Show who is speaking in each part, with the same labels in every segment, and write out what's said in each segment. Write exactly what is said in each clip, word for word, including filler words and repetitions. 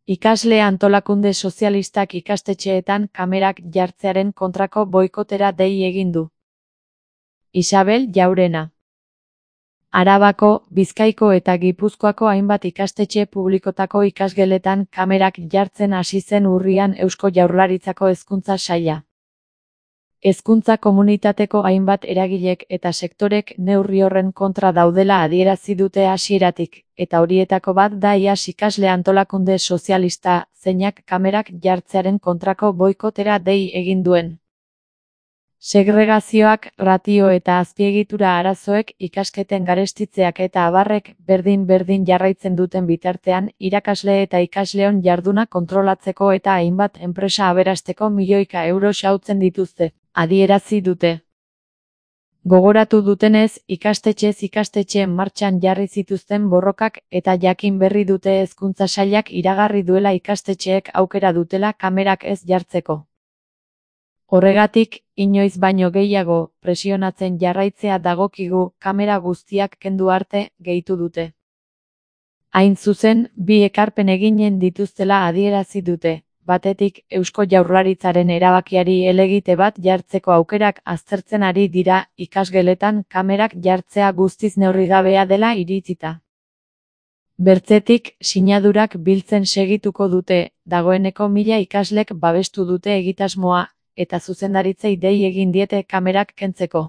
Speaker 1: Ikasle antolakunde sozialistak ikastetxeetan kamerak jartzearen kontrako boikotera dei egin du. Isabel Jaurena. Arabako, Bizkaiko eta Gipuzkoako hainbat ikastetxe publikotako ikasgeletan kamerak jartzen hasi zen urrian Eusko Jaurlaritzako Hezkuntza Saila. Hezkuntza komunitateko hainbat eragilek eta sektorek neurri horren kontra daudela adierazi dute hasieratik, eta horietako bat da iaz ikasle antolakunde sozialista, zeinak kamerak jartzearen kontrako boikotera dei egin duen. Segregazioak, ratio eta azpiegitura arazoek, ikasketen garestitzeak eta abarrek berdin-berdin jarraitzen duten bitartean, irakasle eta ikasleon jarduna kontrolatzeko eta hainbat enpresa aberasteko milioika euro xautzen dituzte, adierazi dute. Gogoratu dutenez, ikastetxez ikastetxe martxan jarri zituzten borrokak eta jakin berri dute Hezkuntza Sailak iragarri duela ikastetxeek aukera dutela kamerak ez jartzeko. Horregatik, inoiz baino gehiago, presionatzen jarraitzea dagokigu, kamera guztiak kendu arte, gehitu dute. Hain zuzen, bi ekarpen eginen dituztela adierazi dute. Batetik, Eusko Jaurlaritzaren erabakiari helegite bat jartzeko aukerak aztertzen ari dira, ikasgeletan kamerak jartzea guztiz neurrigabea dela iritzita. Bertzetik, sinadurak biltzen segituko dute, dagoeneko mila ikaslek babestu dute egitasmoa, eta zuzendaritzei dei egin diete kamerak kentzeko.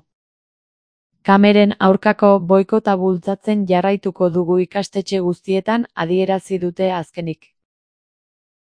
Speaker 1: Kameren aurkako boikota bultzatzen jarraituko dugu ikastetxe guztietan, adierazi dute azkenik.